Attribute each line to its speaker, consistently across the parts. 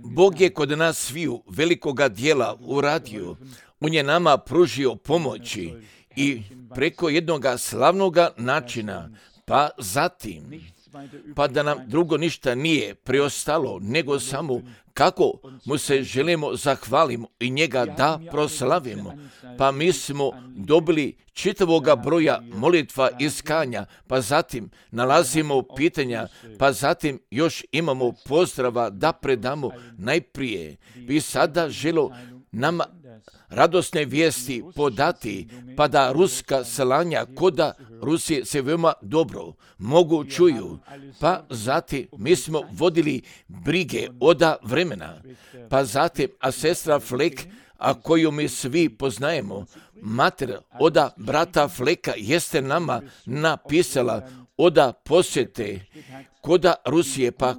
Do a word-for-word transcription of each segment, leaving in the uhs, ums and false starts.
Speaker 1: Bog je kod nas sviju velikoga dijela uradio. On je nama pružio pomoći i preko jednoga slavnoga načina, pa zatim, pa da nam drugo ništa nije preostalo, nego samo kako mu se želimo zahvalimo i njega da proslavimo. Pa mi smo dobili čitavoga broja molitva iskanja, pa zatim nalazimo pitanja, pa zatim još imamo pozdrava da predamo. Najprije bi sada želo nama radosne vijesti podati, pa da ruska slanja koda Rusije se veoma dobro mogu čuju. Pa zatim mi smo vodili brige oda vremena, pa zatim a sestra Flek, a koju mi svi poznajemo, mater oda brata Fleka jeste nama napisala oda posjete koda Rusije, pa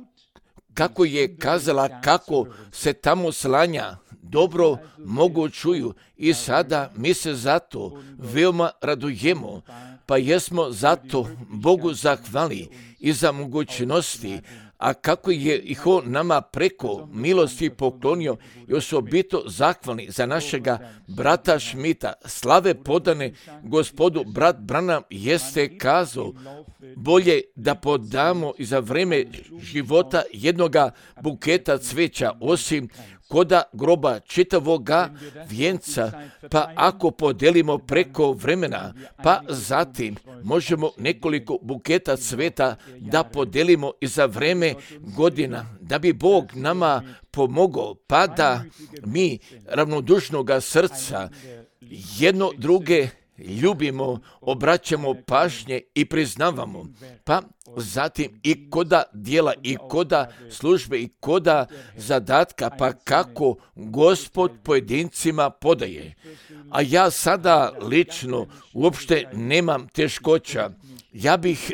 Speaker 1: kako je kazala kako se tamo slanja dobro mogu čuju i sada mi se zato veoma radujemo, pa jesmo zato Bogu zahvali i za mogućnosti, a kako je ih on nama preko milosti poklonio i osobito zahvalni za našega brata Šmita, slave podane gospodu. Brat Branham jeste kazao, bolje da podamo i za vreme života jednoga buketa cveća, osim koda groba čitavoga vijenca, pa ako podelimo preko vremena, pa zatim možemo nekoliko buketa cveta da podelimo i za vreme godina, da bi Bog nama pomogao, pa da mi ravnodušnoga srca jedno druge ljubimo, obraćamo pažnje i priznavamo, pa zatim i koda dijela i koda službe i koda zadatka, pa kako Gospod pojedincima podaje. A ja sada lično uopšte nemam teškoća. Ja bih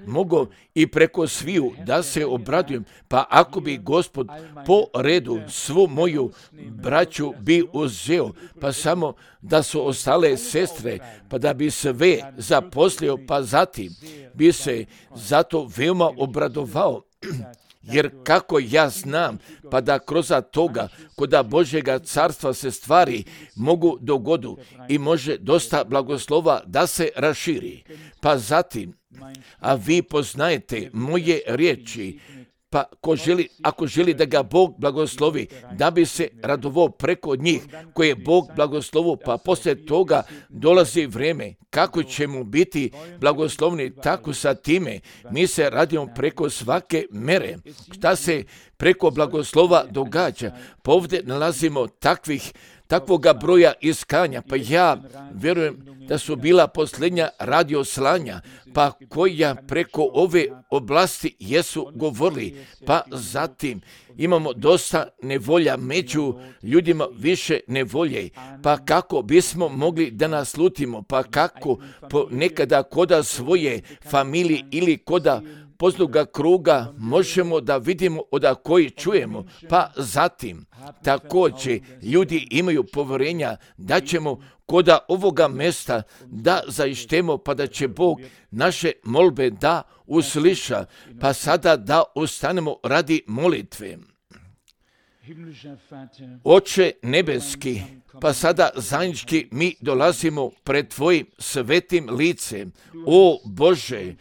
Speaker 1: mogao i preko sviju da se obradujem, pa ako bi Gospod po redu svu moju braću bi uzeo, pa samo da su ostale sestre, pa da bi sve zaposlio, pa zatim bi se zato veoma obradovao. Jer kako ja znam, pa da kroz toga koda Božjega carstva se stvari mogu dogodu i može dosta blagoslova da se raširi. Pa zatim, a vi poznajete moje riječi, pa ko želi, ako želi da ga Bog blagoslovi, da bi se radovao preko njih koje je Bog blagoslovio, pa poslije toga dolazi vrijeme kako će mu biti blagoslovni, tako sa time mi se radimo preko svake mere. Šta se preko blagoslova događa? Pa ovdje nalazimo takvih takvoga broja iskanja, pa ja vjerujem da su bila posljednja radio slanja, pa koja preko ove oblasti jesu govorili, pa zatim imamo dosta nevolja među ljudima, više nevolje, pa kako bismo mogli da naslutimo, pa kako nekada koda svoje familije ili koda poznaga kruga možemo da vidimo od koji čujemo, pa zatim također ljudi imaju povjerenja da ćemo koda ovoga mjesta da zaištemo, pa da će Bog naše molbe da usliša, pa sada da ustanemo radi molitve. Oče nebeski, pa sada zajednički mi dolazimo pred Tvojim svetim licem. O Bože,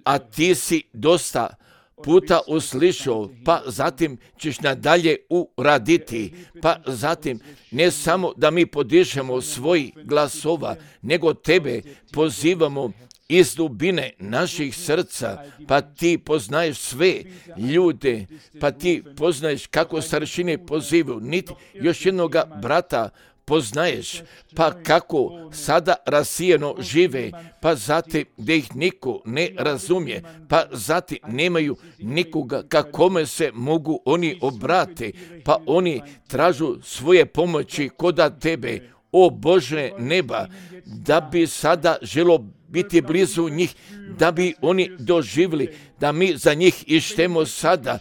Speaker 1: a Ti si dosta puta uslišao, pa zatim ćeš nadalje uraditi, pa zatim ne samo da mi podižemo svoj glasova, nego Tebe pozivamo iz dubine naših srca, pa Ti poznaješ sve ljude, pa Ti poznaješ kako staršine pozivaju, niti još jednoga brata poznaješ, pa kako sada rasijeno žive, pa zatim da ih niko ne razumije, pa zatim nemaju nikoga kakome se mogu oni obrati, pa oni tražu svoje pomoći koda Tebe, o Bože neba, da bi sada želo biti blizu njih, da bi oni doživjeli, da mi za njih ištemo sada,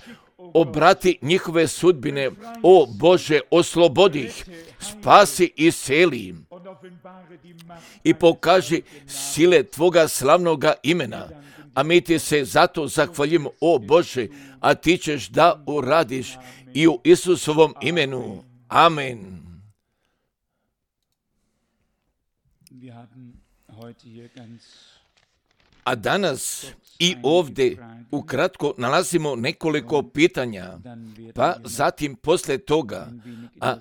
Speaker 1: obrati njihove sudbine, o Bože, oslobodi ih, spasi i seli i pokaži sile Tvoga slavnoga imena, a mi ti se zato zahvaljujemo, o Bože, a ti ćeš da uradiš i u Isusovom imenu. Amen. A danas i ovdje ukratko nalazimo nekoliko pitanja, pa zatim poslije toga, a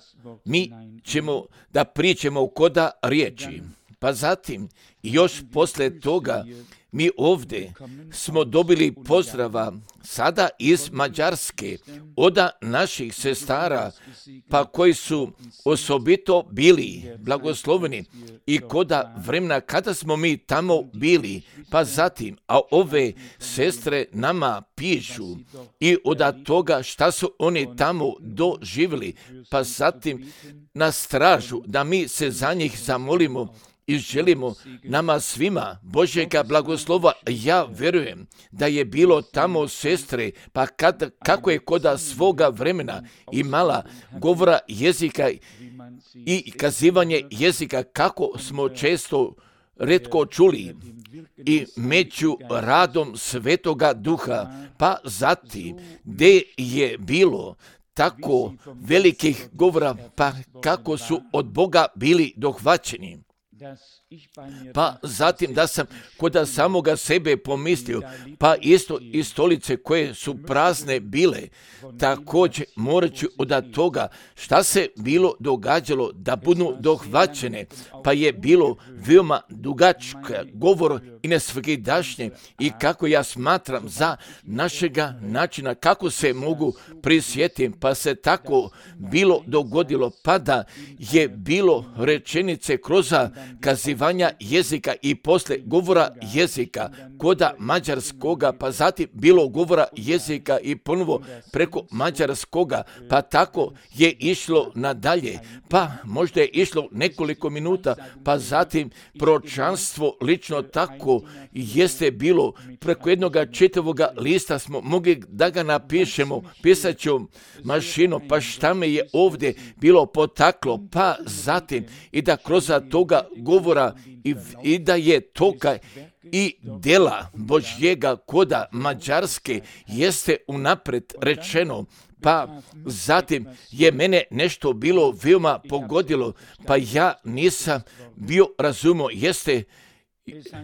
Speaker 1: mi ćemo da pričamo koda riječi, pa zatim još poslije toga mi ovdje smo dobili pozdrava sada iz Mađarske od naših sestara, pa koji su osobito bili blagosloveni i koda vremena kada smo mi tamo bili, pa zatim, a ove sestre nama pišu i od toga šta su oni tamo doživjeli, pa zatim nas tražu da mi se za njih zamolimo i želimo nama svima Božjega blagoslova. Ja vjerujem da je bilo tamo sestre, pa kad, kako je koda svoga vremena imala govora jezika i kazivanje jezika, kako smo često retko čuli, i među radom Svetoga Duha, pa zatim gdje je bilo tako velikih govora, pa kako su od Boga bili dohvaćeni. Pa zatim da sam kod samoga sebe pomislio, pa isto i stolice koje su prazne bile, također morat ću od toga šta se bilo događalo da budu dohvaćene, pa je bilo veoma dugačka govor i nesvakidašnje i kako ja smatram za našega načina, kako se mogu prisjetim, pa se tako bilo dogodilo, pa da je bilo rečenice kroz kazivanja jezika i posle govora jezika koda mađarskoga, pa zatim bilo govora jezika i ponovo preko mađarskoga, pa tako je išlo nadalje, pa možda je išlo nekoliko minuta, pa zatim proročanstvo lično tako jeste bilo preko jednog čitavog lista smo mogli da ga napišemo pisaćom mašinom, pa šta me je ovdje bilo potaklo, pa zatim i da kroz toga govora i, i da je toga i dela Božjega koda Mađarske jeste unapred rečeno, pa zatim je mene nešto bilo veoma pogodilo, pa ja nisam bio razumio, jeste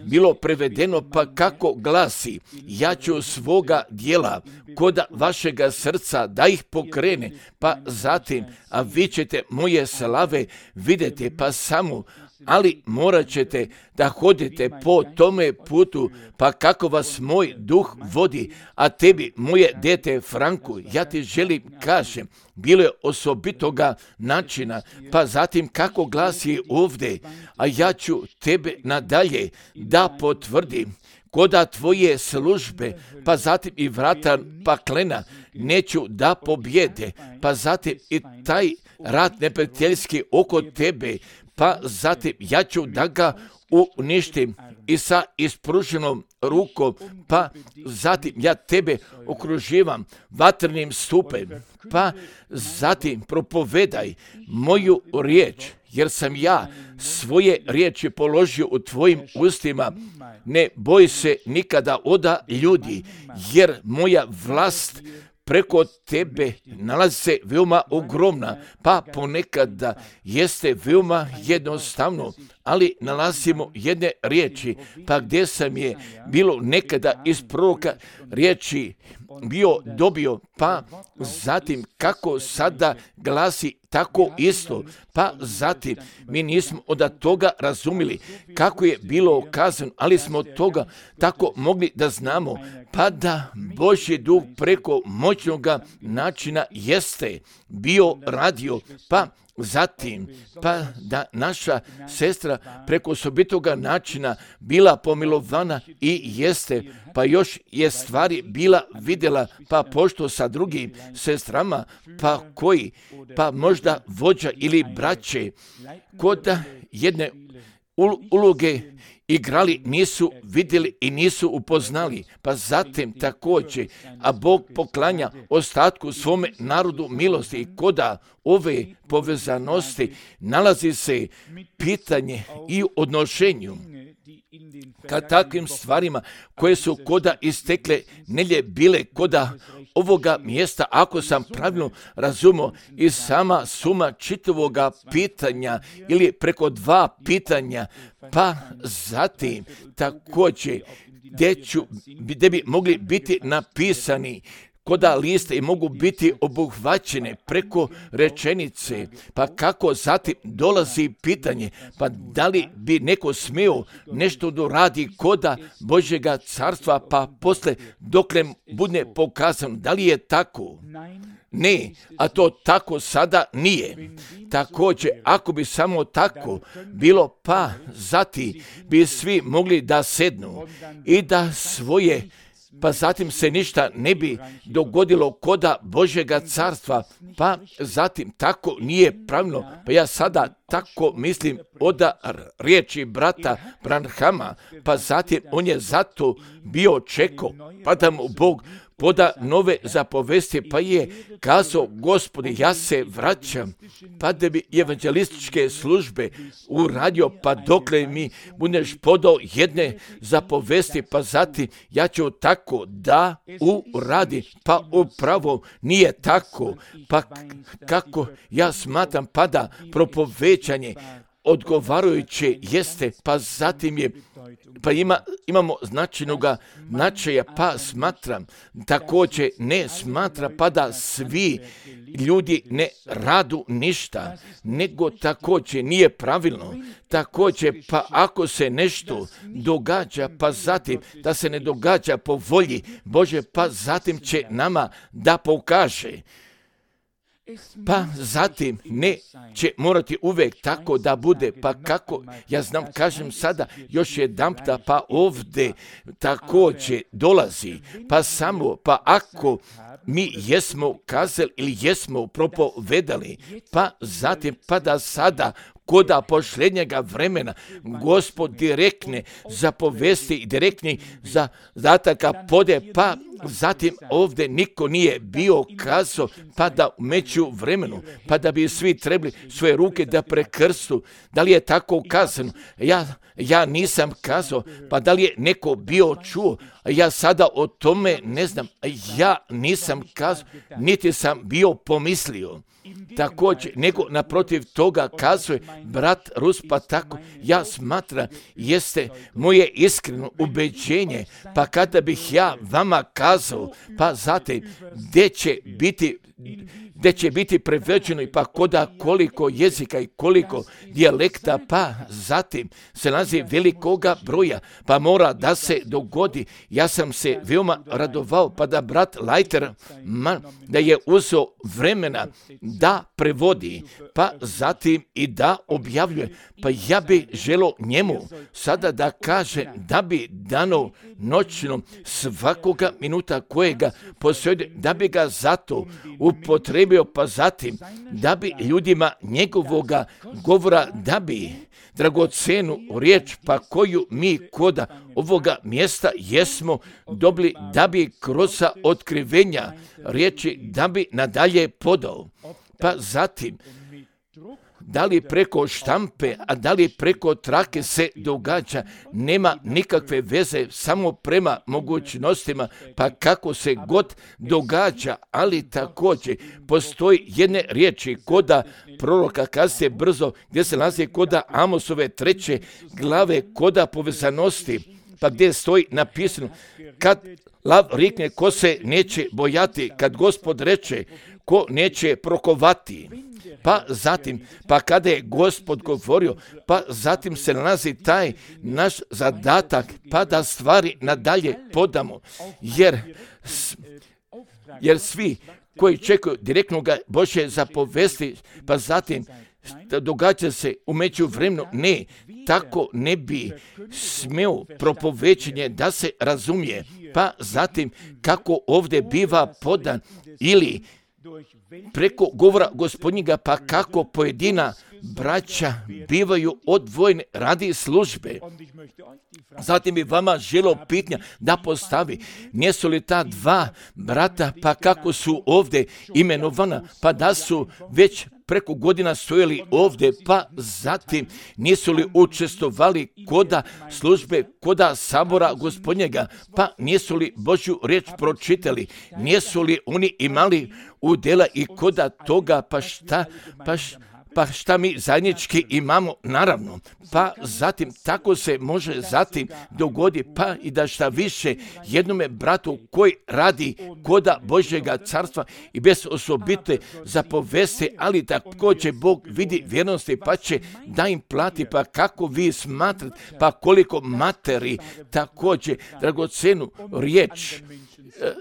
Speaker 1: bilo prevedeno, pa kako glasi, ja ću svoga dijela kod vašega srca da ih pokrene, pa zatim, a vi ćete moje slave vidjeti, pa samo, ali morat ćete da hodite po tome putu, pa kako vas moj duh vodi, a tebi, moje dete Franku, ja ti želim kažem, bilo je osobitoga načina, pa zatim kako glasi ovdje, a ja ću tebe nadalje da potvrdim, koda tvoje službe, pa zatim i vrata paklena neću da pobjede, pa zatim i taj rat neprijateljski oko tebe, pa zatim ja ću da ga uništim i sa ispruženom rukom, pa zatim ja tebe okruživam vatrenim stupem, pa zatim propovedaj moju riječ, jer sam ja svoje riječi položio u tvojim ustima. Ne boj se nikada oda ljudi, jer moja vlast preko tebe nalazi se veoma ogromna, pa ponekada jeste veoma jednostavno, ali nalazimo jedne riječi, pa gdje sam je bilo nekada iz proroka riječi bio dobio, pa zatim kako sada glasi tako isto, pa zatim mi nismo od toga razumili kako je bilo kazano, ali smo od toga tako mogli da znamo, pa da Božji duh preko moćnog načina jeste bio radio, pa zatim, pa da naša sestra preko osobitoga načina bila pomilovana i jeste, pa još je stvari bila vidjela, pa pošto sa drugim sestrama, pa koji, pa možda vođa ili braće, kod jedne uloge igrali, nisu vidjeli i nisu upoznali, pa zatim također, a Bog poklanja ostatku svome narodu milosti i koda ove povezanosti nalazi se pitanje i u odnošenju kad takvim stvarima koje su koda istekle nelje bile koda ovoga mjesta, ako sam pravilno razumio, i sama suma čitavoga pitanja ili preko dva pitanja, pa zatim također gdje, ću, gdje bi mogli biti napisani koda liste i mogu biti obuhvaćene preko rečenice, pa kako zatim dolazi pitanje, pa da li bi neko smio nešto doradi koda Božjega carstva, pa posle dokle bude pokazano, da li je tako? Ne, a to tako sada nije. Također, ako bi samo tako bilo, pa zatim bi svi mogli da sednu i da svoje, pa zatim se ništa ne bi dogodilo koda Božjega carstva, pa zatim tako nije pravilno. Pa ja sada tako mislim od riječi brata Branhama, pa zatim on je zato bio čekao, pa da mu Bog poda nove zapovesti, pa je kazao, Gospodi, ja se vraćam, pa da bi evanđelističke službe uradio, pa dokle mi budeš podao jedne zapovesti, pa zatim ja ću tako da uradi, pa upravo nije tako, pa kako ja smatram, pa da propovećanje odgovarajuće jeste, pa zatim je, pa ima, imamo značajnoga značaja, pa smatram, također ne smatra, pa da svi ljudi ne radu ništa, nego također nije pravilno, također, pa ako se nešto događa, pa zatim da se ne događa po volji Bože, pa zatim će nama da pokaže. Pa zatim ne će morati uvijek tako da bude, pa kako, ja znam, kažem sada još jedanputa, pa ovdje također dolazi, pa samo, pa ako mi jesmo kazali ili jesmo propovedali, pa zatim, pa da sada koda posljednjega vremena Gospod direktne zapovesti i direktni zadataka pode, pa zatim ovdje niko nije bio kazao, pa da u među vremenu, pa da bi svi trebali svoje ruke da prekrstu. Da li je tako kazano? Ja, ja nisam kazao, pa da li je neko bio čuo? Ja sada o tome ne znam. Ja nisam kazao, niti sam bio pomislio. Također, nego naprotiv toga kazuje brat Rus, pa tako ja smatram, jeste moje iskreno ubeđenje, pa kada bih ja vama kazao, pa zatim gdje će biti gdje će biti preveđeno i pa koda koliko jezika i koliko dijalekta, pa zatim se nalazi velikoga broja, pa mora da se dogodi. Ja sam se veoma radovao, pa da brat Leiter man, da je uzeo vremena da prevodi, pa zatim i da objavljuje. Pa ja bi želo njemu sada da kaže da bi dano noćno svakoga minuta kojega posjede, da bi ga zato upotrebio, pa zatim da bi ljudima njegovoga govora, da bi dragocenu riječ, pa koju mi koda ovoga mjesta jesmo dobili, da bi kroz otkrivenja riječi, da bi nadalje podao. Pa zatim, da li preko štampe, a da li preko trake se događa, nema nikakve veze, samo prema mogućnostima, pa kako se god događa, ali također postoji jedne riječi koda proroka, kad se brzo, gdje se nalazi koda Amosove treće glave, koda povezanosti, pa gdje stoji napisano, kad lav rikne, ko se neće bojati, kad Gospod reče, ko neće prokovati. Pa zatim, pa kada je Gospod govorio, pa zatim se nalazi taj naš zadatak, pa da stvari nadalje podamo, jer, jer svi koji čekaju direktnog Božje zapovesti, pa zatim događa se u međuvremenu, ne, tako ne bi smio propovećenje da se razumije, pa zatim kako ovdje biva podan ili preko govora Gospodnjega, pa kako pojedina braća bivaju odvojeni radi službe. Zatim bi vama želo pitanja da postavi, nisu li ta dva brata, pa kako su ovdje imenovana, pa da su već preko godina stojali ovdje, pa zatim nisu li učestvovali koda službe, koda sabora Gospodnjega, pa nisu li Božju riječ pročitali, nisu li oni imali udjela i koda toga, pa šta, pa šta, Pa šta mi zajednički imamo? Naravno, pa zatim tako se može zatim dogodi, pa i da šta više jednome bratu koji radi koda Božjega carstva i bez osobite zapovesti, ali također Bog vidi vjernosti pa će da im plati, pa kako vi smatrate, pa koliko materi također dragocenu riječ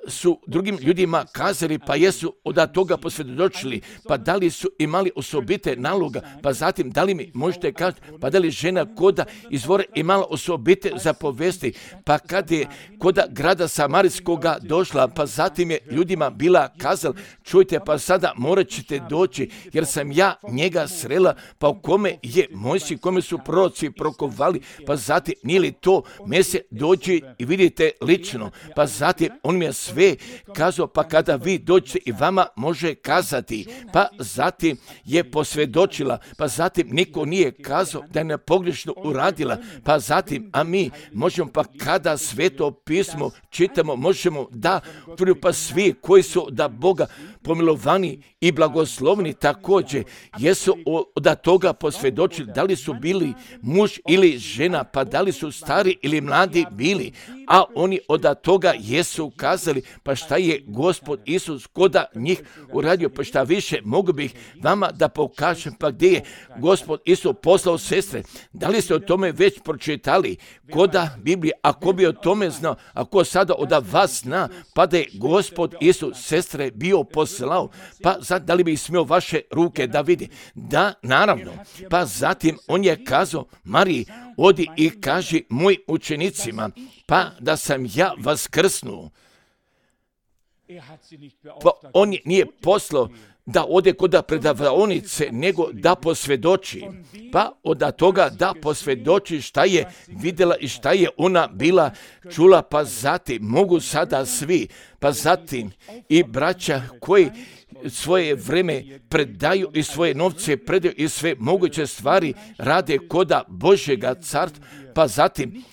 Speaker 1: su drugim ljudima kazali, pa jesu od toga posvjedočili, pa da li su imali osobite naloga, pa zatim da li mi možete kazati, pa da li žena koda izvore imala osobite zapovesti, pa kad je koda grada Samarijskoga došla, pa zatim je ljudima bila kazala, čujte, pa sada morat ćete doći, jer sam ja njega srela, pa u kome je Mojsij, kome su proroci prokovali, pa zatim nije li to mese dođi i vidite lično, pa zatim on mi je sve kazao, pa kada vi dođete i vama može kazati, pa zatim je posvjedočila, pa zatim niko nije kazao da je nepogrešno uradila, pa zatim, a mi možemo, pa kada Sveto pismo čitamo, možemo da tvrdu, pa svi koji su da Boga pomilovani i blagoslovni također jesu od toga posvjedočili, da li su bili muž ili žena, pa da li su stari ili mladi bili, a oni od toga jesu kazali, pa šta je Gospod Isus koda njih uradio, pa šta više mogu bih vama da pokažem, pa gdje je Gospod Isus poslao sestre, da li ste o tome već pročitali koda Biblije, ako bi o tome znao, ako sada od vas zna, pa da je Gospod Isus sestre bio poslao, pa sad da li bi smio vaše ruke da vidi, da naravno, pa zatim on je kazao, Mariji, odi i kaži mojim učenicima, pa da sam ja vaskrsnuo. Pa on nije poslao da ode kod predavaonice, nego da posvjedoči. Pa od toga da posvjedoči šta je vidjela i šta je ona bila čula, pa zatim mogu sada svi, pa zatim i braća koji svoje vreme predaju i svoje novce predaju i sve moguće stvari rade koda Božjega carstva, pa zatim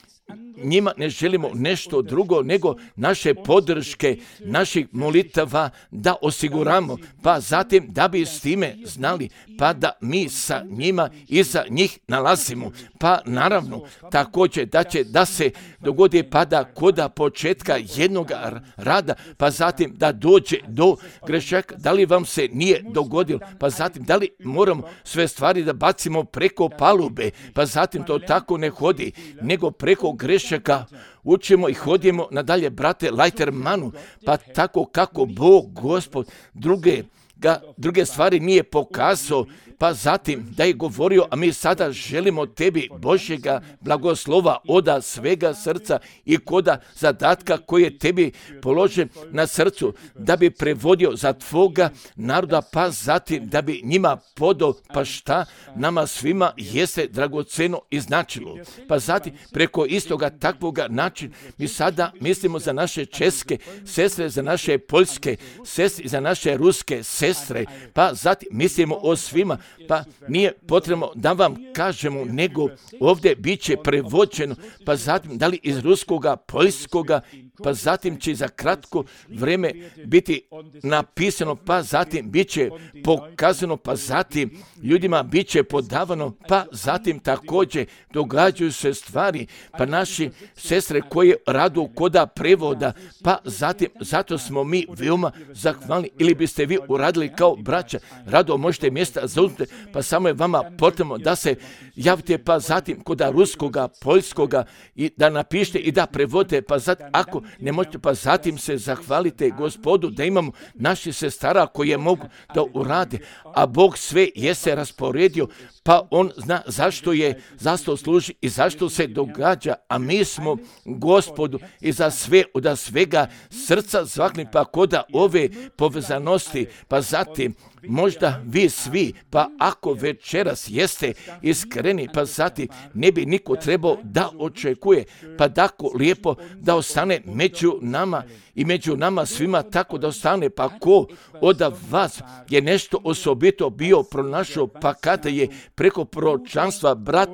Speaker 1: njima ne želimo nešto drugo nego naše podrške, naših molitava da osiguramo, pa zatim da bi s time znali, pa da mi sa njima i za njih nalazimo. Pa naravno također da će da se dogodi pa da koda početka jednog rada, pa zatim da dođe do grešaka, da li vam se nije dogodilo, pa zatim da li moramo sve stvari da bacimo preko palube, pa zatim to tako ne hodi, nego preko grešaka učimo i hodimo nadalje, brate Lajtermanu, pa tako kako Bog, Gospod, druge, ga, druge stvari nije pokazao, pa zatim da je govorio, a mi sada želimo tebi Božjega blagoslova oda svega srca i koda zadatka koji je tebi položen na srcu, da bi prevodio za tvoga naroda, pa zatim da bi njima podao, pa šta nama svima jeste dragoceno i značilo. Pa zatim preko istoga takvoga načina mi sada mislimo za naše česke sestre, za naše poljske sestre, za naše ruske sestre, pa zatim mislimo o svima, pa nije potrebno da vam kažemo, nego ovdje bit će prevođeno, pa zatim da li iz ruskoga, poljskoga, pa zatim će za kratko vrijeme biti napisano, pa zatim bit će pokazano, pa zatim ljudima bit će podavano, pa zatim također događaju se stvari, pa naši sestre koje radu koda prevoda, pa zatim zato smo mi veoma zahvalni, ili biste vi uradili kao braća, rado možete mjesta zauzeti, pa samo je vama potrebno da se javite, pa zatim koda ruskoga, poljskoga i da napišete i da prevodite, pa zatim ako ne možete, pa zatim se zahvalite Gospodu da imamo naši sestara koje mogu da urade, a Bog sve je se rasporedio, pa on zna zašto je, zašto služi i zašto se događa, a mi smo Gospodu i za sve, od svega srca zvakli, pa koda ove povezanosti, pa zatim možda vi svi, pa ako večeras jeste iskreni, pa zatim ne bi niko trebao da očekuje, pa tako lijepo da ostane među nama i među nama svima tako da ostane, pa ko od vas je nešto osobito bio pronašao, pa kada je preko proročanstva brat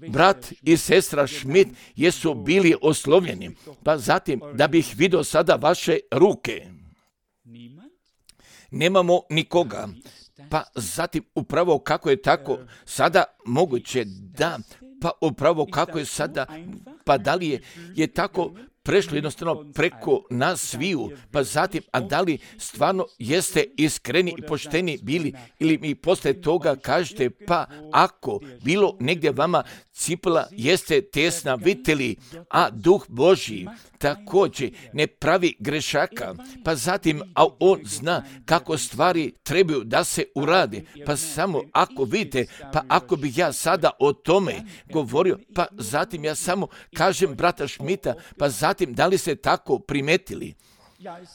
Speaker 1: Brat i sestra Schmidt jesu bili oslovljeni, pa zatim da bih vidio sada vaše ruke. Nemamo nikoga, pa zatim upravo kako je tako sada moguće da, pa upravo kako je sada, pa da li je, je tako prešlo jednostavno preko nas sviju, pa zatim, a da li stvarno jeste iskreni i pošteni bili, ili mi posle toga kažete, pa ako bilo negdje vama cipela jeste tesna, viteli, a duh Božji također ne pravi grešaka, pa zatim, a on zna kako stvari trebaju da se urade, pa samo ako vidite, pa ako bi ja sada o tome govorio, pa zatim ja samo kažem brata Schmidta, pa zatim da li ste tako primetili?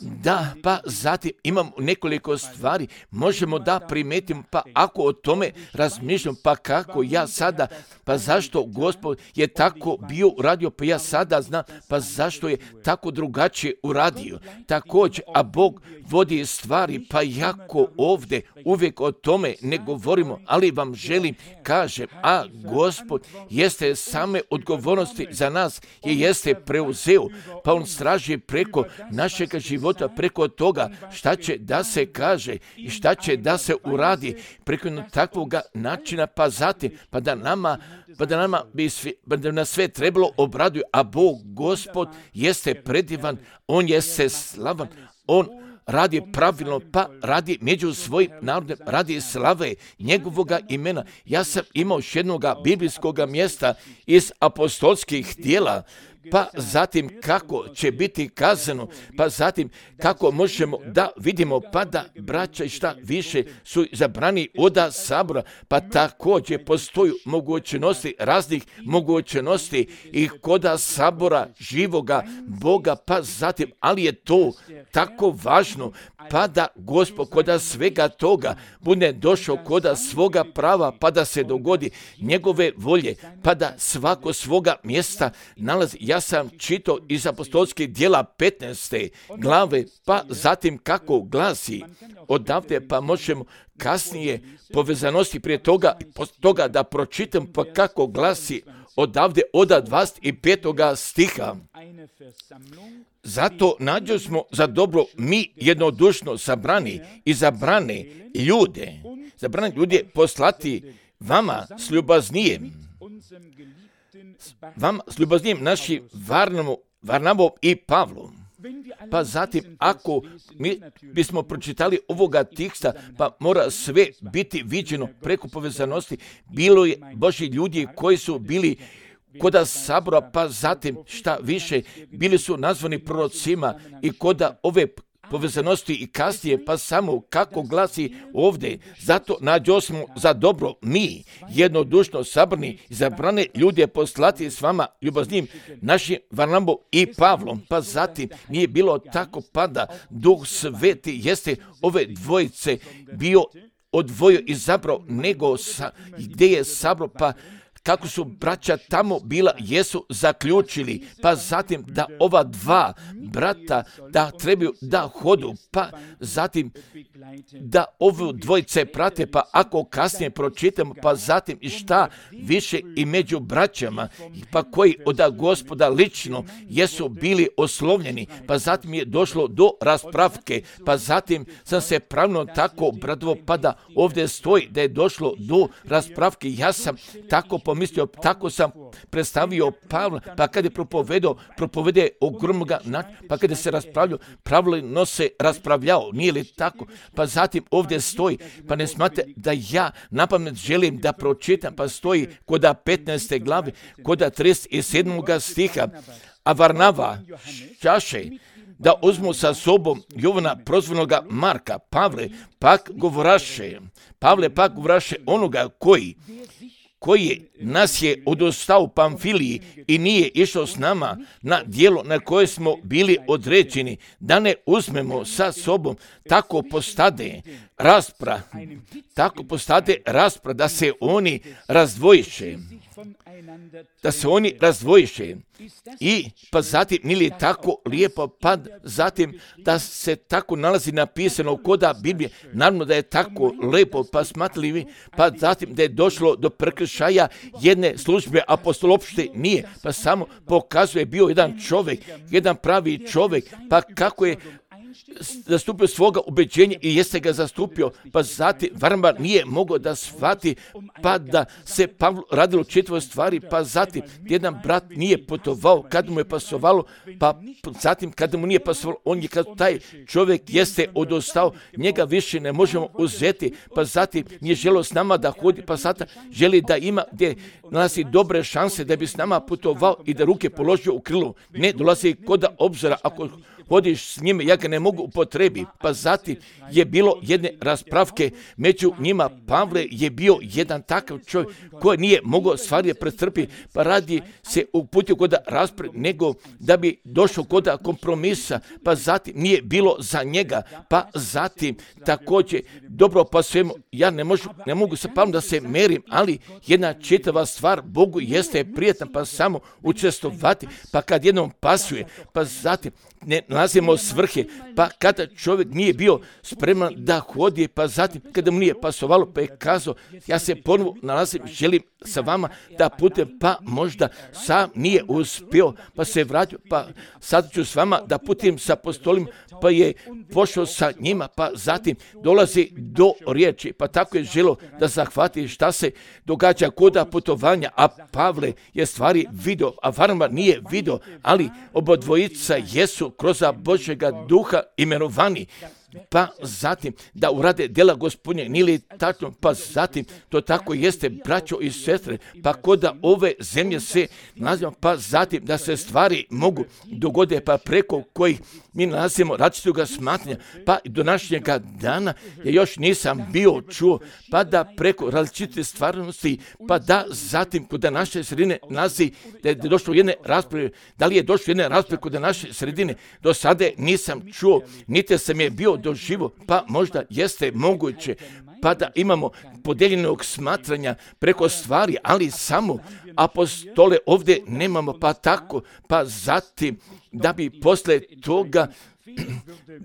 Speaker 1: Da, pa zatim imamo nekoliko stvari, možemo da primetimo, pa ako o tome razmišljam, pa kako ja sada, pa zašto Gospod je tako bio uradio, pa ja sada znam, pa zašto je tako drugačije uradio. Također, a Bog vodi stvari, pa jako ovdje uvijek o tome ne govorimo, ali vam želim kažem, a Gospod jeste same odgovornosti za nas je jeste preuzeo, pa on straži preko našeg života, preko toga šta će da se kaže i šta će da se uradi preko takvog načina, pa zatim, pa da nama, pa da nama bi svi, pa da nas sve trebalo obraduje, a Bog, Gospod, jeste predivan, on jeste slavan, on radi pravilno, pa radi među svojim narodom, radi slave njegovoga imena. Ja sam imao još jednog biblijskog mjesta iz apostolskih djela, pa zatim kako će biti kazano, pa zatim kako možemo da vidimo, pa da braća i šta više su zabrani oda sabora, pa također postoju mogućnosti, raznih mogućnosti i koda sabora živoga Boga, pa zatim, ali je to tako važno, pa da Gospod koda svega toga bude došao koda svoga prava, pa da se dogodi njegove volje, pa da svako svoga mjesta nalazi. Ja sam čitao iz apostolskih djela petnaeste glave, pa zatim kako glasi odavde, pa možemo kasnije povezanosti prije toga, toga da pročitam, pa kako glasi odavde od dvadeset petog stiha. Zato nađo smo za dobro mi jednodušno sabrani i zabrane ljude, zabrane ljude poslati vama s ljubaznijem, vama s ljubaznijem našim Varnavom, Varnavom i Pavlom. Pa zatim, ako mi bismo pročitali ovoga teksta, pa mora sve biti viđeno preko povezanosti. Bilo je Božji ljudi koji su bili koda sabora, pa zatim šta više, bili su nazvani prorocima i koda ove povezanosti i kasnije, pa samo kako glasi ovdje, zato nađo smo za dobro mi, jednodušno sabrani i zabrane ljude poslati s vama ljubaznim našim Varnabom i Pavlom, pa zatim nije bilo tako, pa da Duh Sveti jeste ove dvojice bio odvojio i zabrao, nego sa, gdje je sabro, pa kako su braća tamo bila, jesu zaključili, pa zatim da ova dva brata da trebaju da hodu, pa zatim da ovu dvojice prate, pa ako kasnije pročitamo, pa zatim i šta više i među braćama, pa koji od Gospoda lično jesu bili oslovljeni, pa zatim je došlo do raspravke, pa zatim sam se pravno tako obradovo, pa da ovdje stoji da je došlo do raspravke. Ja sam tako pomislio, tako sam predstavio Pavla, pa kad je propovedao, propovede ogromnoga načina, pa kada se raspravljao, pravilno se raspravljao, nije li tako? Pa zatim ovdje stoji, pa ne smate da ja napamet želim da pročitam, pa stoji koda petnaeste glave, koda trideset sedmog stiha, a Varnava šaše da uzmu sa sobom Jovana prozvanoga Marka, Pavle pak govoraše, Pavle pak govoraše onoga koji koji nas je odostao u Pamfiliji i nije išao s nama na dijelo na koje smo bili određeni, da ne uzmemo sa sobom, tako postade raspra, tako postade raspra da se oni razdvojiše, da se oni razdvojiše. I pa zatim, nije li tako lijepo, pa zatim da se tako nalazi napisano koda Biblije, naravno da je tako lijepo, pa smatrali vi, pa zatim da je došlo do prekršaja jedne službe, apostol uopšte nije, pa samo pokazuje bio jedan čovjek, jedan pravi čovjek, pa kako je zastupio svoga ubeđenja i jeste ga zastupio, pa zatim Varnaba nije mogao da shvati, pa da se Pavlu radilo četiri stvari, pa zatim jedan brat nije putovao kad mu je pasovalo, pa zatim kada mu nije pasovalo, on je kad taj čovjek jeste odostao, njega više ne možemo uzeti, pa zatim nije želio s nama da hodi, pa sada želi da ima gdje nalazi dobre šanse da bi s nama putovao i da ruke položio u krilo, ne dolazi kod obzira, ako hodiš s njime, ja ga ne mogu upotrebi. Pa zatim je bilo jedne raspravke među njima. Pavle je bio jedan takav čovjek koji nije mogao stvari pretrpiti, pa radi se uputio kod rasprave nego da bi došao kod kompromisa, pa zatim nije bilo za njega, pa zatim također dobro pa svemu, ja ne, možu, ne mogu sa Pavlom da se merim, ali jedna čitava stvar Bogu jeste prijetna, pa samo učestvovati, pa kad jednom pasuje, pa zatim ne nalazimo svrhe, pa kada čovjek nije bio spreman da hodi, pa zatim kada mu nije pasovalo, pa je kazao, ja se ponovo nalazim, želim sa vama da putujem, pa možda sam nije uspio, pa se vratio, pa sad ću s vama da putujem sa apostolima, pa je pošao sa njima, pa zatim dolazi do riječi, pa tako je želio da zahvati šta se događa kod putovanja, a Pavle je stvari vidio, a Varnaba nije vidio, ali obodvojica jesu kroz Božjega duha imenovani, pa zatim da urade djela Gospodnje, nije li tačno, pa zatim to tako jeste, braćo i sestre, pa kod ove zemlje se nalazimo, pa zatim da se stvari mogu dogode, pa preko kojih mi nalazimo različitoga smatranja, pa do današnjega dana ja još nisam bio čuo, pa da preko različite stvarnosti, pa da zatim kod naše sredine nalazi da je došlo jedne rasprave, da li je došlo jedne rasprave kod naše sredine, do sada nisam čuo, niti sam je bio doživo, pa možda jeste moguće, pa da imamo podijeljenog smatranja preko stvari, ali samo apostole ovdje nemamo, pa tako, pa zatim da bi posle toga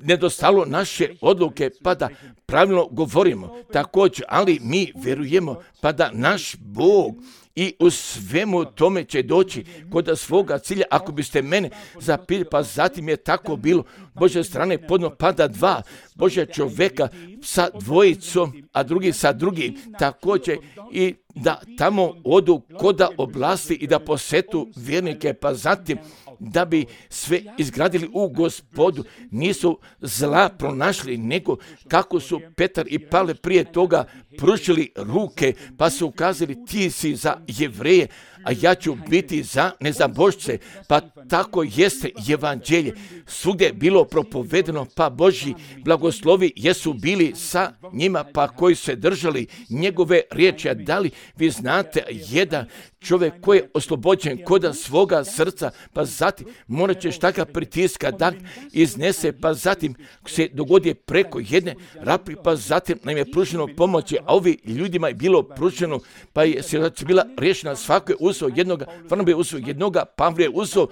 Speaker 1: nedostalo naše odluke, pa da pravilno govorimo također, ali mi vjerujemo, pa da naš Bog i u svemu tome će doći kod svoga cilja. Ako biste mene zapili, pa zatim je tako bilo, Božje strane podno pada dva Božja čovjeka sa dvojicom, a drugi sa drugim, također i da tamo odu koda oblasti i da posetu vjernike, pa zatim da bi sve izgradili u Gospodu, nisu zla pronašli, nego kako su Petar i Pavle prije toga pružili ruke, pa su ukazali ti si za Jevreje, a ja ću biti za nezabožce, pa tako jeste evanđelje. Svugdje je bilo propovedeno, pa Božji blagoslovi jesu bili sa njima, pa koji se držali njegove riječi. A da li vi znate jedan čovjek koji je oslobođen koda svoga srca, pa zatim morat će šta ga pritiska da iznese, pa zatim se dogodi preko jedne rapi, pa zatim nam je pruženo pomoći, a ovi ljudima je bilo pruženo, pa je situacija bila riješena, svako je uzeo jednoga, Varnaba je uzeo jednoga, Pavle je uzeo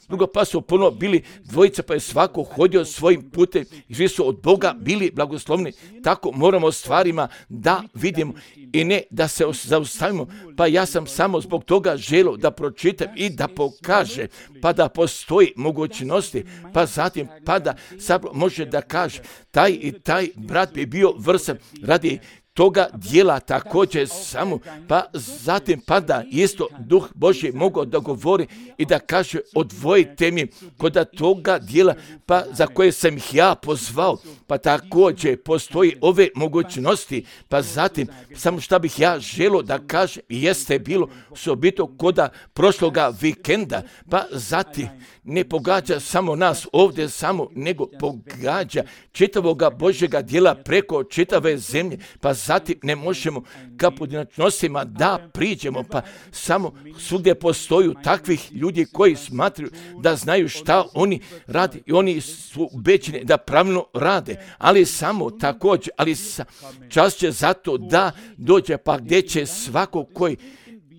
Speaker 1: drugo, pa su ponovo bili dvojica, pa je svako hodio svojim putem i svi su od Boga bili blagoslovni. Tako moramo stvarima da vidimo i ne da se zaustavimo. Pa ja sam samo zbog toga želio da pročitam i da pokaže, pa da postoji mogućnosti, pa zatim pa da sad može da kaže taj i taj brat bi bio vrsan radi toga dijela također samo, pa zatim pada isto Duh Božji mogao da govori i da kaže odvojite mi kod toga dijela, pa za koje sam ih ja pozvao, pa također postoji ove mogućnosti, pa zatim samo šta bih ja želio da kaže jeste bilo osobito koda prošloga vikenda, pa zatim ne pogađa samo nas ovdje samo, nego pogađa čitavoga Božjega dijela preko čitave zemlje, pa zatim ne možemo ka pojedinačnostima da priđemo, pa samo svugdje postoju takvih ljudi koji smatraju da znaju šta oni rade i oni su ubeđeni da pravilno rade, ali samo također, ali sa, čas će zato da dođe pa gdje će svako koji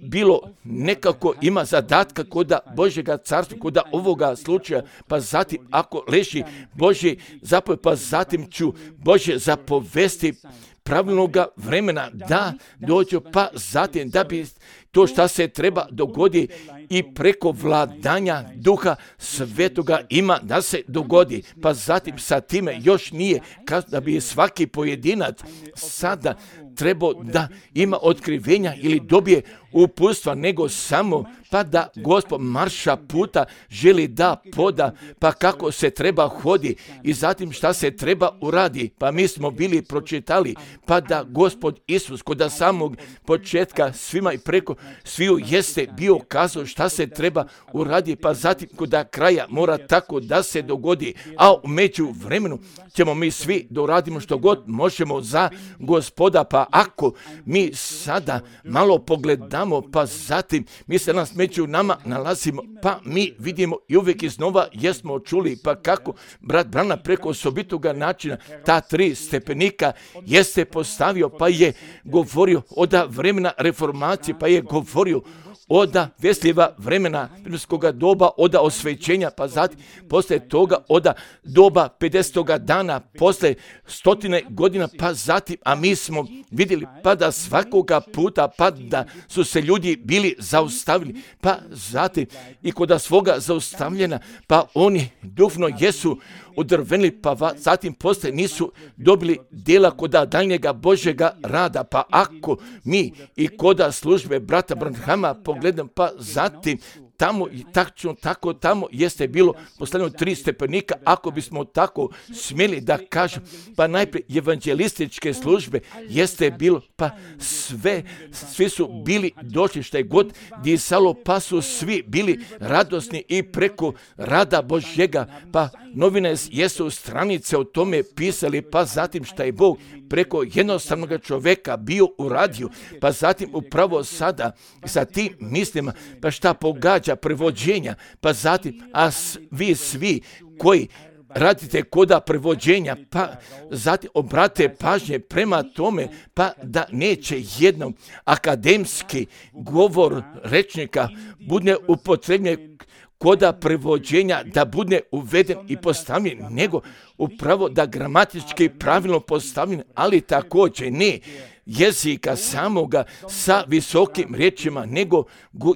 Speaker 1: bilo nekako ima zadatka koda Božjega carstva, koda ovoga slučaja, pa zatim ako leži Božji zapovjed, pa zatim ću Božje zapovesti pravilnoga vremena da dođu, pa zatim da bi to što se treba dogodi i preko vladanja Duha Svetoga ima da se dogodi, pa zatim sa time još nije da bi svaki pojedinac sada trebao da ima otkrivenja ili dobije uputstva, nego samo pa da Gospod marša puta želi da poda, pa kako se treba hodi i zatim šta se treba uradi. Pa mi smo bili pročitali, pa da Gospod Isus kod samog početka svima i preko sviju jeste bio kazao šta se treba uradi, pa zatim kod kraja mora tako da se dogodi, a u međuvremenu ćemo mi svi da uradimo što god možemo za Gospoda. Pa ako mi sada malo pogledamo, pa zatim mi se nas među nama nalazimo, pa mi vidimo i uvijek iznova jesmo čuli, pa kako brat Brana preko osobitoga načina ta tri stepenika jeste postavio, pa je govorio od vremena reformacije, pa je govorio oda Vesljiva vremena rimskoga doba, oda osvećenja, pa zatim posle toga oda doba pedesetoga dana, posle stotine godina, pa zatim, a mi smo vidjeli pa da svakoga puta, pa da su se ljudi bili zaustavili, pa zatim i kod svoga zaustavljena, pa oni duhovno jesu udrvenili, pa zatim posle nisu dobili djela koda daljnjega Božjega rada. Pa ako mi i koda službe brata Branhama pogledam, pa zatim tamo i tačno tako tamo jeste bilo postavljeno tri stepenika, ako bismo tako smjeli da kažem, pa najprije evanđelističke službe jeste bilo, pa sve, svi su bili došli šta je god disalo, pa su svi bili radosni i preko rada Božjega, pa novine jesu stranice o tome pisali, pa zatim šta je Bog preko jednostavnog čovjeka bio uradio, pa zatim upravo sada sa tim mislima, pa šta pogađa prevođenja, pa zatim, a vi svi koji radite koda prevođenja, pa zatim obrate pažnje prema tome, pa da neće jednom akademski govor rečnika bude upotrebljen koda prevođenja da bude uveden i postavljen, nego upravo da gramatički pravilno postavljen, ali također ne jezika samoga sa visokim riječima, nego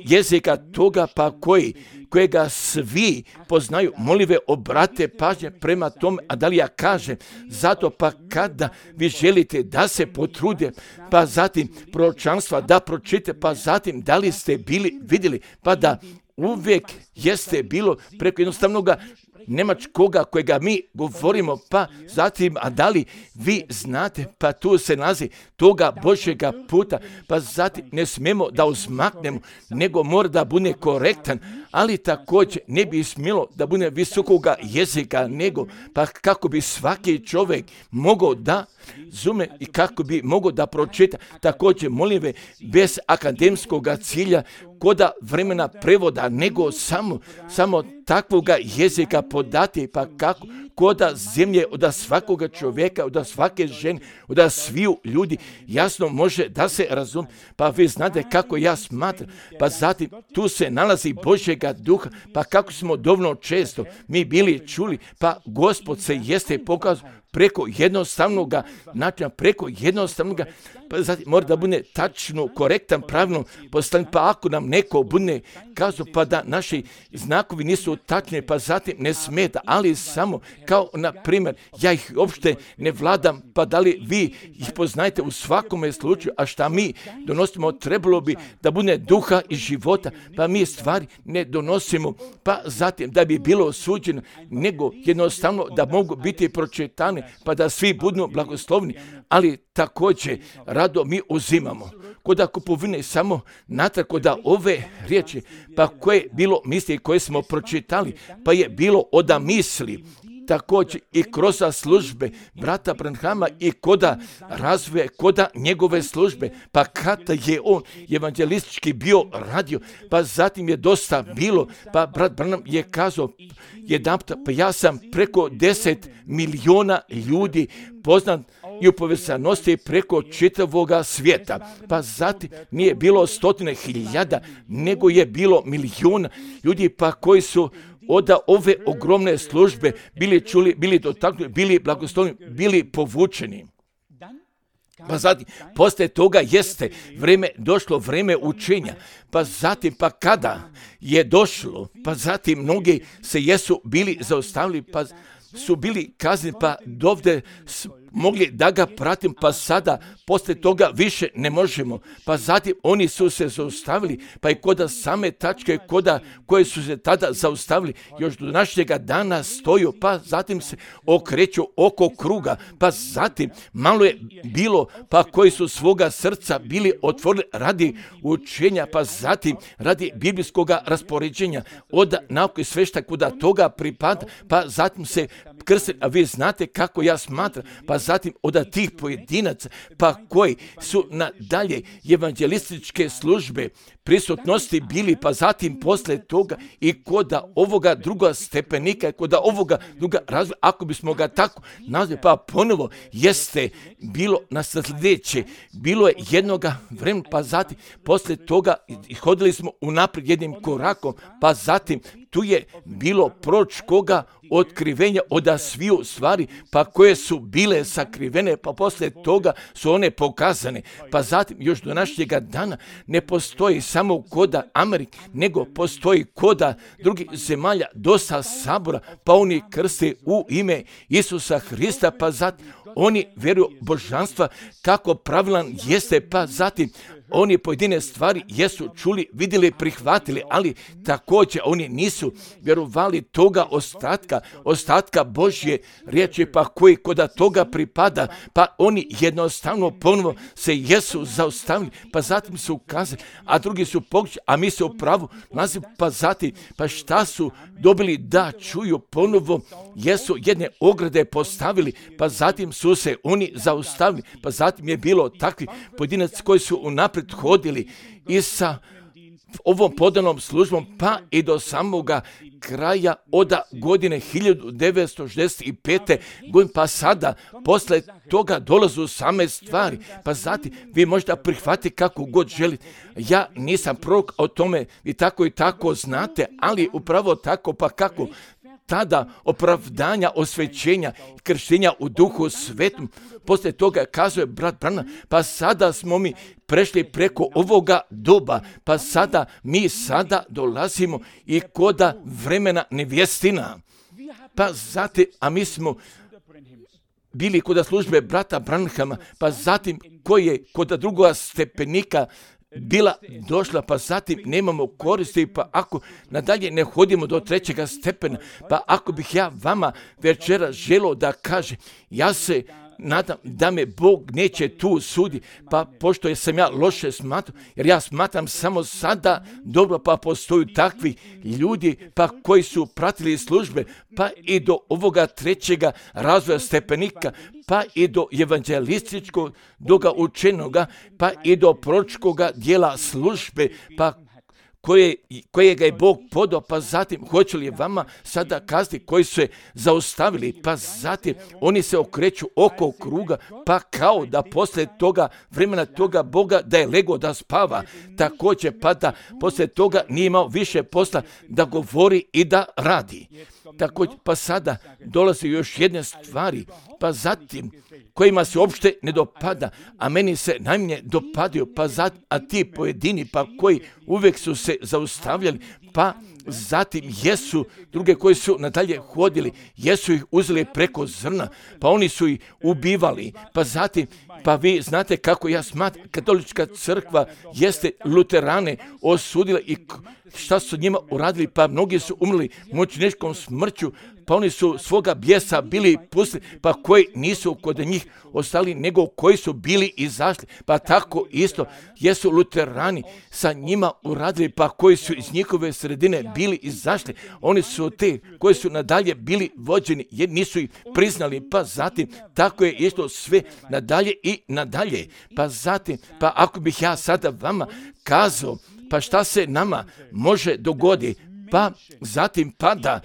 Speaker 1: jezika toga pa koji, kojega svi poznaju. Molive obrate pažnje prema tome, a da li ja kažem, zato pa kada vi želite da se potrude, pa zatim proročanstva da pročite, pa zatim da li ste bili vidjeli, pa da uvijek jeste bilo preko jednostavnoga njemačkoga kojega mi govorimo, pa zatim, a da li vi znate, pa tu se nalazi toga Božjega puta, pa zatim ne smijemo da uzmaknemo, nego mora da bude korektan, ali također ne bi smjelo da bude visokoga jezika, nego pa kako bi svaki čovjek mogao da zume i kako bi mogao da pročita, također molim ve, bez akademskog cilja, koda vremena prevoda, nego samo, samo takvoga jezika podati, pa kako koda zemlje od svakoga čovjeka, od svake žene, od sviju ljudi jasno može da se razumije. Pa vi znate kako ja smatram, pa zatim tu se nalazi Božjega duha, pa kako smo dovoljno često mi bili čuli, pa Gospod se jeste pokazao preko jednostavnog načina, preko jednostavnog, pa zatim mora da bude tačno, korektan, pravilno postavljen, pa ako nam neko bude kazao, pa da naši znakovi nisu tačni, pa zatim ne smeta, ali samo kao na primjer, ja ih uopšte ne vladam, pa da li vi ih poznajete u svakome slučaju, a šta mi donosimo, trebalo bi da bude duha i života, pa mi stvari ne donosimo, pa zatim da bi bilo osuđeno, nego jednostavno da mogu biti pročitane, pa da svi budu blagoslovni, ali također rado mi uzimamo. Koda kupovine samo natrag koda ove riječi, pa koje bilo misli koje smo pročitali, pa je bilo oda misli također i kroz službe brata Branhama i koda razvoja, koda njegove službe, pa kada je on evanđelistički bio radio, pa zatim je dosta bilo, pa brat Branham je kazao jedanput, pa ja sam preko deset miliona ljudi poznat i u povezanosti preko čitavoga svijeta. Pa zatim nije bilo stotine hiljada, nego je bilo milijuna ljudi pa koji su od ove ogromne službe bili čuli, bili dotaknuti, bili blagosloveni, bili povučeni. Pa zatim, poslije toga jeste vrijeme, došlo vrijeme učenja, pa zatim, pa kada je došlo, pa zatim mnogi se jesu bili zaustavili, pa su bili kazni, pa dovde mogli da ga pratim, pa sada poslije toga više ne možemo. Pa zatim oni su se zaustavili, pa i koda same tačke koda koje su se tada zaustavili, još do našega dana stoju, pa zatim se okreću oko kruga, pa zatim malo je bilo, pa koji su svoga srca bili otvorili radi učenja, pa zatim radi biblijskog raspoređenja, od nauke sve šta kuda toga pripada, pa zatim se krste, a vi znate kako ja smatram, pa zatim od tih pojedinaca, pa koji su nadalje evanđelističke službe prisutnosti bili, pa zatim posle toga i koda ovoga druga stepenika, koda ovoga druga razvoja, ako bismo ga tako nazvali, pa ponovo jeste bilo na sljedeće, bilo je jednoga vremena, pa zatim posle toga hodili smo unaprijed jednim korakom, pa zatim tu je bilo proročkoga otkrivenja od sviju stvari, pa koje su bile sakrivene, pa poslije toga su one pokazane. Pa zatim još do našega dana ne postoji samo koda Amerike, nego postoji koda drugih zemalja, dosta sabora, pa oni krste u ime Isusa Hrista, pa zatim oni vjeruju božanstva kako pravilan jeste, pa zatim oni pojedine stvari jesu čuli, vidjeli, prihvatili, ali također oni nisu vjerovali toga ostatka, ostatka Božje riječi, pa koji koda toga pripada, pa oni jednostavno ponovo se jesu zaustavili, pa zatim su ukazali, a drugi su pokušali, a mi se u pravu nalazimo, pa zatim, pa šta su dobili da čuju ponovo, jesu jedne ograde postavili, pa zatim su se oni zaustavili, pa zatim je bilo takvi pojedinac koji su unaprijed hodili i sa ovom podanom službom, pa i do samoga kraja od godine hiljadu devetsto šezdeset pete. godine, pa sada posle toga dolazu same stvari, pa zatim vi možda prihvatite kako god želite. Ja nisam prorok o tome, vi tako i tako znate, ali upravo tako, pa kako tada opravdanja, osvećenja, krštenja u duhu svetom. Poslije toga kazuje brat Branham, pa sada smo mi prešli preko ovoga doba, pa sada mi sada dolazimo i koda vremena nevjestina. Pa zatim, a mi smo bili kod službe brata Branhama, pa zatim koji je kod drugoga stepenika bila došla, pa zatim nemamo koristi, pa ako nadalje ne hodimo do trećega stepena, pa ako bih ja vama večera želio da kaže, ja se nadam da me Bog neće tu sudi, pa pošto sam ja loše smatram, jer ja smatram samo sada dobro, pa postoju takvi ljudi, pa koji su pratili službe, pa i do ovoga trećega razvoja stepenika, pa i do evanđelističkog, doga učenoga, pa i do proročkoga dijela službe, pa koje, kojega je Bog podao, pa zatim hoće li vama sada kazati koji su se zaustavili, pa zatim oni se okreću oko kruga, pa kao da poslije toga vremena toga Boga da je lego da spava, također pa da poslije toga nije imao više posla da govori i da radi. Također pa sada dolazi još jedne stvari, pa zatim kojima se uopšte ne dopada, a meni se najmanje dopadaju, pa zatim, a ti pojedini, pa koji uvijek su se zaustavljali, pa zatim jesu druge koji su nadalje hodili, jesu ih uzeli preko zrna, pa oni su ih ubivali, pa zatim, pa vi znate kako ja smatram, katolička crkva jeste luterane osudila i šta su njima uradili, pa mnogi su umrli mučeničkom smrću, pa oni su svoga bijesa bili pustili, pa koji nisu kod njih ostali, nego koji su bili izašli. Pa tako isto jesu luterani sa njima uradili, pa koji su iz njihove sredine bili izašli. Oni su te koji su nadalje bili vođeni, jer nisu ih priznali, pa zatim tako je isto sve nadalje i nadalje. Pa zatim, pa ako bih ja sada vama kazao, pa šta se nama može dogoditi? Pa zatim pada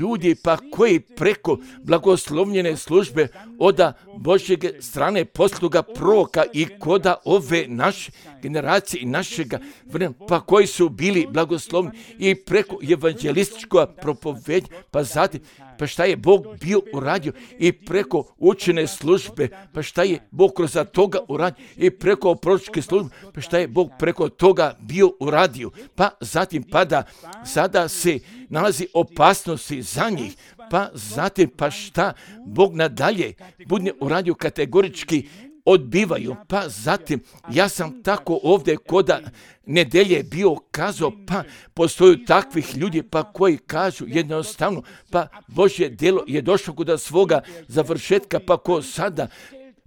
Speaker 1: ljudi pa koji preko blagoslovljene službe od Božjeg strane posluga proroka i koda ove naše generacije i našega vremena, pa koji su bili blagoslovni i preko evanđelističkog propovednja, pa zatim pa šta je Bog bio uradio i preko učene službe, pa šta je Bog kroz toga uradio i preko proročke službe, pa šta je Bog preko toga bio uradio. Pa zatim pada, sada se nalazi opasnosti za njih, pa zatim pa šta Bog nadalje bude uradio kategorički odbivaju. Pa zatim, ja sam tako ovdje koda nedelje bio kazao, pa postoju takvih ljudi pa koji kažu jednostavno, pa Božje djelo je došlo kod svoga završetka, pa ko sada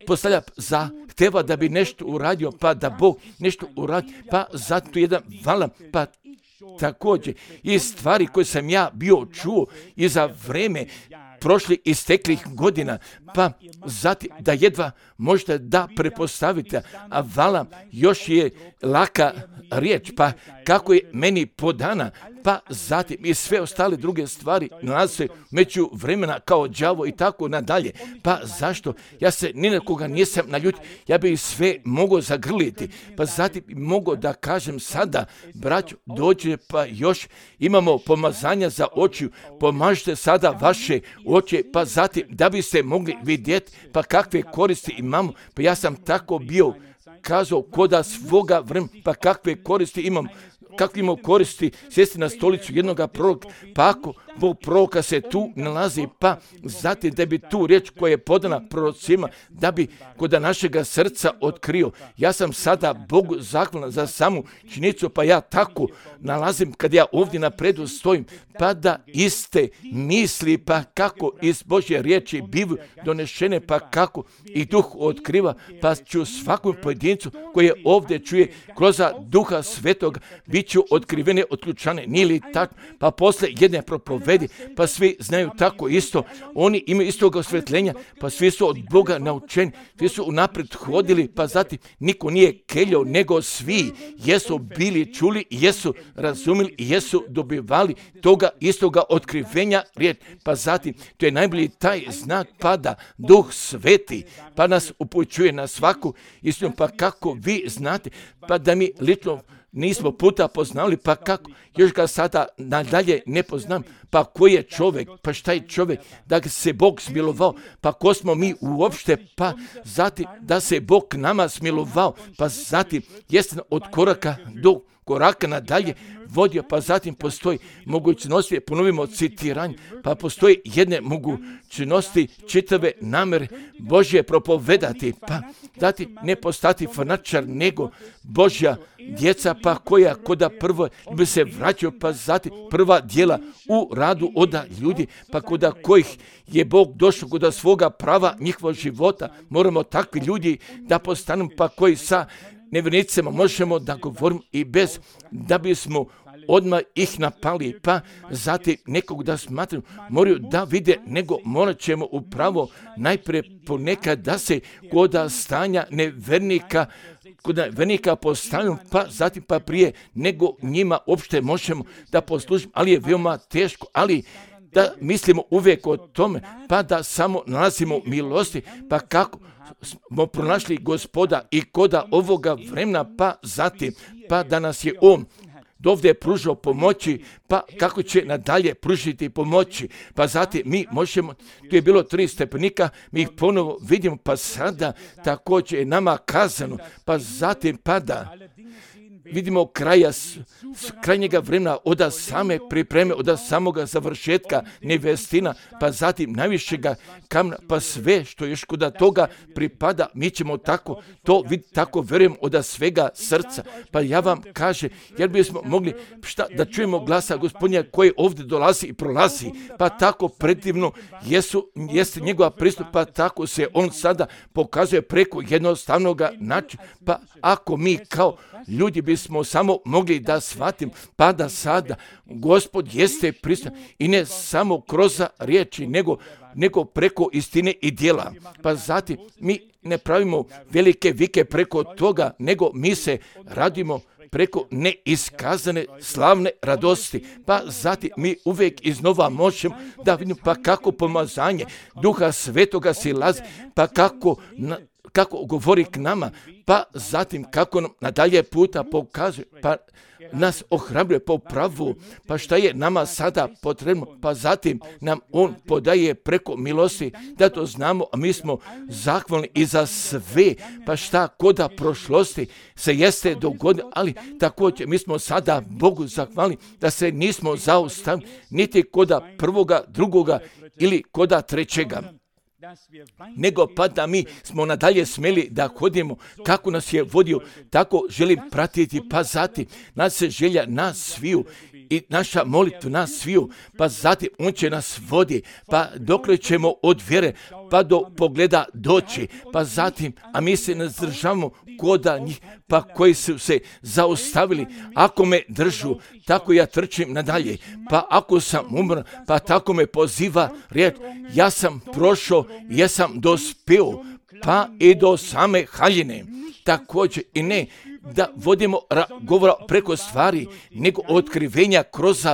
Speaker 1: postavlja zahteva da bi nešto uradio, pa da Bog nešto uradi, pa zato jedan vala, pa također i stvari koje sam ja bio čuo i za vreme prošli isteklih godina, pa zatim da jedva možete da prepostavite, a vala još je laka riječ, pa kako je meni podana, pa zatim i sve ostale druge stvari nalaze se među vremena kao đavo i tako nadalje. Pa zašto? Ja se ni na koga nisam naljutio, ja bi sve mogao zagrliti, pa zatim mogao da kažem sada, braćo, dođe, pa još imamo pomazanja za oči, pomažite sada vaše oči, pa zatim da biste mogli vidjeti, pa kakve koristi imamo, pa ja sam tako bio kazao koda svoga vremena, pa kakve koristi imam, kakve imamo koristi sjesti na stolicu jednoga proroka, pa ako Bog proroka se tu nalazi, pa zatim da bi tu riječ koja je podana prorocima, da bi kod našega srca otkrio. Ja sam sada Bogu zahvalan za samu činjenicu, pa ja tako nalazim kad ja ovdje napredu stojim, pa da iste misli, pa kako iz Božje riječi bivaju donešene, pa kako i duh otkriva, pa ću svakom pojedincu koji je ovdje čuje kroz duha svetog, bit ću otkrivene, otključane, nije li tako, pa posle jedne propovedi, pa svi znaju tako isto, oni imaju istog osvetljenja, pa svi su od Boga naučeni, svi su unaprijed hodili, pa zatim niko nije keljao, nego svi jesu bili čuli, jesu razumili, jesu dobivali toga istoga otkrivenja riječ, pa zatim to je najbolji taj znak, pa da Duh Sveti, pa nas upućuje na svaku istinu, pa kako vi znate, pa da mi lično nismo puta poznali, pa kako, još ga sada nadalje ne poznam, pa ko je čovjek, pa šta je čovjek, da ga se Bog smilovao, pa ko smo mi uopšte, pa zatim da se Bog nama smilovao, pa zatim jeste od koraka do koraka nadalje vodio, pa zatim postoji mogućnosti, ponovimo citiranje, pa postoji jedne mogućnosti čitave namere Božje propovedati, pa zatim ne postati fanačar, nego Božja djeca, pa koja koda prvo bi se vraćao, pa zatim prva djela u radu oda ljudi, pa koda kojih je Bog došao koda svoga prava njihovog života, moramo takvi ljudi da postanu, pa koji sa nevjernicima možemo da govorimo i bez da bismo odmah ih napali, pa zatim nekog da smatraju, moraju da vide, nego morat ćemo upravo najprije ponekad da se koda stanja nevernika, kod vernika postavljamo, pa zatim pa prije nego njima uopšte možemo da poslužimo, ali je veoma teško, ali da mislimo uvijek o tome, pa da samo nalazimo milosti, pa kako smo pronašli Gospoda i koda ovoga vremena, pa zatim, pa da nas je On dovde pružao pomoći, pa kako će nadalje pružiti pomoći, pa zatim mi možemo, tu je bilo tri stepenika, mi ih ponovo vidimo, pa sada također je nama kazano, pa zatim pada vidimo kraja, s, s krajnjega vremena, od same pripreme, od samoga završetka nevestina, pa zatim najvišega kamna, pa sve što još kod toga pripada, mi ćemo tako to vidjeti, tako vjerujem od svega srca. Pa ja vam kažem, jer bismo mogli šta, da čujemo glasa Gospodnja koji ovdje dolazi i prolazi, pa tako predivno jesu, jeste njegova pristup, pa tako se on sada pokazuje preko jednostavnog načina. Pa ako mi kao ljudi bismo samo mogli da shvatim, pa da sada Gospod jeste prisutan i ne samo kroz riječi, nego, nego preko istine i djela. Pa zatim mi ne pravimo velike vike preko toga, nego mi se radimo preko neiskazane slavne radosti. Pa zatim mi uvijek iznova možemo da vidimo pa kako pomazanje Duha Svetoga silazi, pa kako na, kako govori k nama, pa zatim kako nam nadalje puta pokazuje, pa nas ohrabruje po pravu, pa šta je nama sada potrebno, pa zatim nam on podaje preko milosti da to znamo, a mi smo zahvalni i za sve, pa šta koda prošlosti se jeste dogodilo, ali također mi smo sada Bogu zahvalni da se nismo zaustavili niti koda prvoga, drugoga ili koda trećega, nego pa da mi smo nadalje smjeli da hodimo kako nas je vodio, tako želim pratiti, pa zatim nas se želja nas sviju i naša molitva nas sviju, pa zatim on će nas vodi, pa dokle ćemo od vjere pa do pogleda doći, pa zatim, a mi se ne zdržavamo koda njih, pa koji su se zaustavili, ako me držu, tako ja trčim nadalje, pa ako sam umro, pa tako me poziva riječ, ja sam prošao, ja sam dospio, pa i do same haljine, također i ne da vodimo ra- govora preko stvari, nego otkrivenja kroz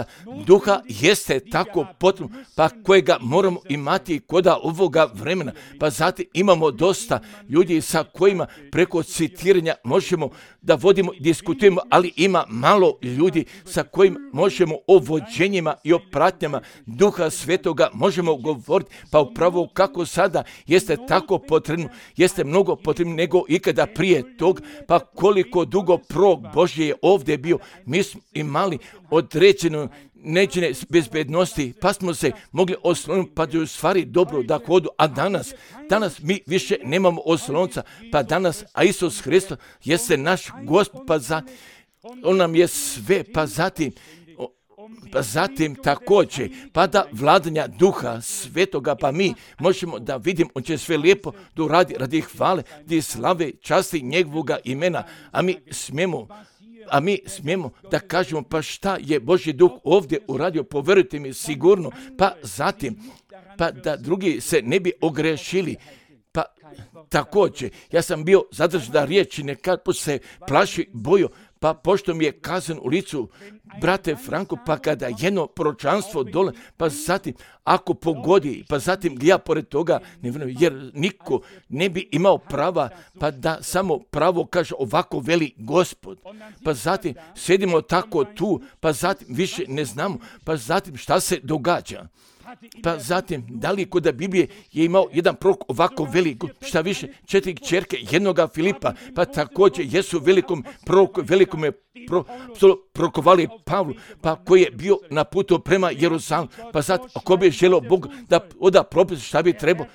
Speaker 1: Duha jeste tako potrebno, pa kojega moramo imati koda ovoga vremena. Pa zatim imamo dosta ljudi sa kojima preko citiranja možemo da vodimo, diskutujemo, ali ima malo ljudi sa kojima možemo o vođenjima i o pratnjama Duha Svetoga možemo govoriti, pa upravo kako sada jeste tako potrebno, jeste mnogo potrebno nego ikada prije tog, pa koliko dugo prorok Božji je ovdje bio, mi smo imali određenu neđene bezbednosti, pa smo se mogli osloniti, pa da je u stvari dobro da hodu, a danas, danas mi više nemamo oslonca, pa danas, a Isus Hristos jeste naš Gospod, pa zatim, on nam je sve, pa zatim, pa zatim također, pa da vladanja Duha Svetoga, pa mi možemo da vidimo, on će sve lijepo da uradi radi hvale, radi slave, časti njegovoga imena, a mi smijemo, a mi smijemo da kažemo, pa šta je Božji Duh ovdje uradio, povjerujte mi sigurno, pa zatim, pa da drugi se ne bi ogrešili, pa također, ja sam bio zadržan da riječi nekad se plaši bojo, pa pošto mi je kazan u licu, brate Franko, pa kada jedno proročanstvo dole, pa zatim ako pogodi, pa zatim ja pored toga ne vjerujem, jer niko ne bi imao prava, pa da samo pravo kaže ovako veli Gospod. Pa zatim sjedimo tako tu, pa zatim više ne znamo, pa zatim šta se događa. Pa zatim, da li kod Biblije je imao jedan prorok ovako velik, šta više, četiri kćerke jednoga Filipa, pa također jesu velikom proroku, velikom je pro, prorokovali Pavlu, pa koji je bio na putu prema Jeruzalemu, pa sad, ako bi želeo Bog da oda propis šta bi trebao,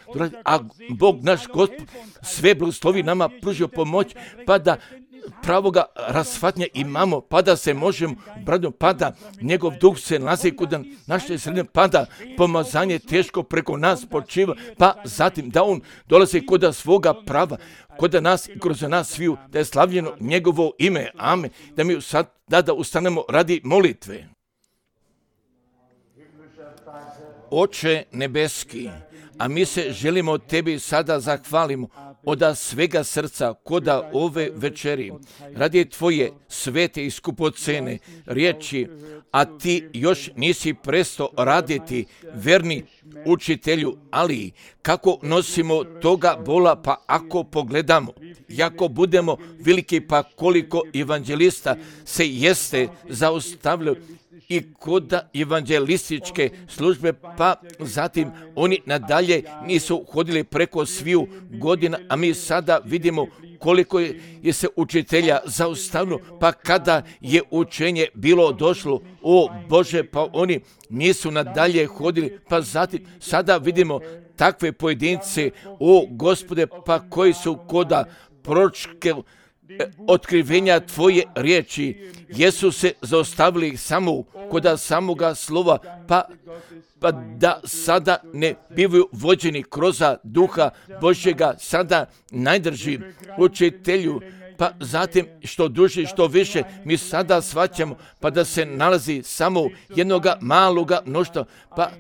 Speaker 1: a Bog naš Gospod sve blagoslovi nama pružio pomoć, pa da pravoga rasfatnja imamo, pa da se možemo bradno, pa da njegov duh se nalazi kod naše sredine, pa da pomazanje teško preko nas počiva, pa zatim da on dolazi kod svoga prava, kod nas i kroz nas sviju, da je slavljeno njegovo ime, amen, da mi sad da, da ustanemo radi molitve. Oče nebeski, a mi se želimo tebi sada zahvalimo od svega srca koda ove večeri, radi tvoje svete i skupocene riječi, a ti još nisi prestao raditi, verni učitelju, ali kako nosimo toga bola, pa ako pogledamo, jako budemo veliki, pa koliko evanđelista se jeste zaustavljaju i kod evanđelističke službe, pa zatim oni nadalje nisu hodili preko sviju godina, a mi sada vidimo koliko je, je se učitelja zaustavilo, pa kada je učenje bilo došlo, o Bože, pa oni nisu nadalje hodili, pa zatim sada vidimo takve pojedince, o Gospode, pa koji su koda proročke otkrivenja Tvoje riječi, jesu se zaustavili samo koda samoga slova, pa, pa da sada ne bivaju vođeni kroz duha Božjega, sada najdrži učitelju, pa zatim što duže, što više, mi sada shvaćamo, pa da se nalazi samo jednoga maloga mnoštva, pa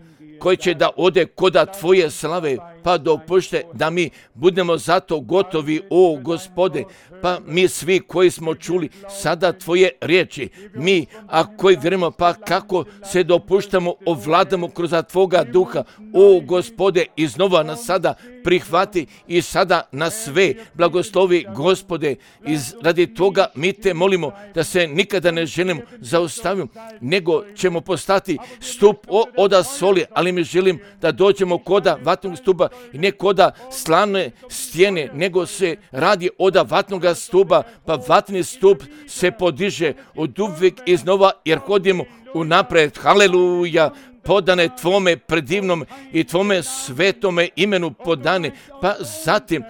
Speaker 1: koji će da ode koda Tvoje slave, pa dopušte da mi budemo zato gotovi, o Gospode, pa mi svi koji smo čuli sada Tvoje riječi, mi, a koji vjerujemo, pa kako se dopuštamo, ovladamo kroz Tvoga duha, o Gospode, iznova nas sada prihvati i sada na sve blagoslovi, Gospode, iz radi toga mi te molimo da se nikada ne želimo zaustaviti, nego ćemo postati stup oda soli, ali mi želim da dođemo koda vatnog stupa i ne koda slane stijene, nego se radi oda vatnog stupa, pa vatni stup se podiže od uvijek iznova jer hodimo unapred. Haleluja! Podane Tvome predivnom i Tvome svetome imenu podane, pa zatim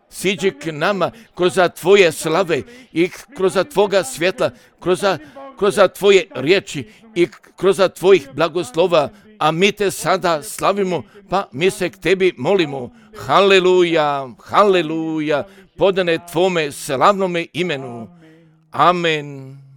Speaker 1: siđi k nama kroz Tvoje slave i kroz Tvoga svjetla, kroz, kroz Tvoje riječi i kroz Tvojih blagoslova, a mi te sada slavimo, pa mi se k Tebi molimo. Haleluja, haleluja, podane Tvome slavnome imenu. Amen.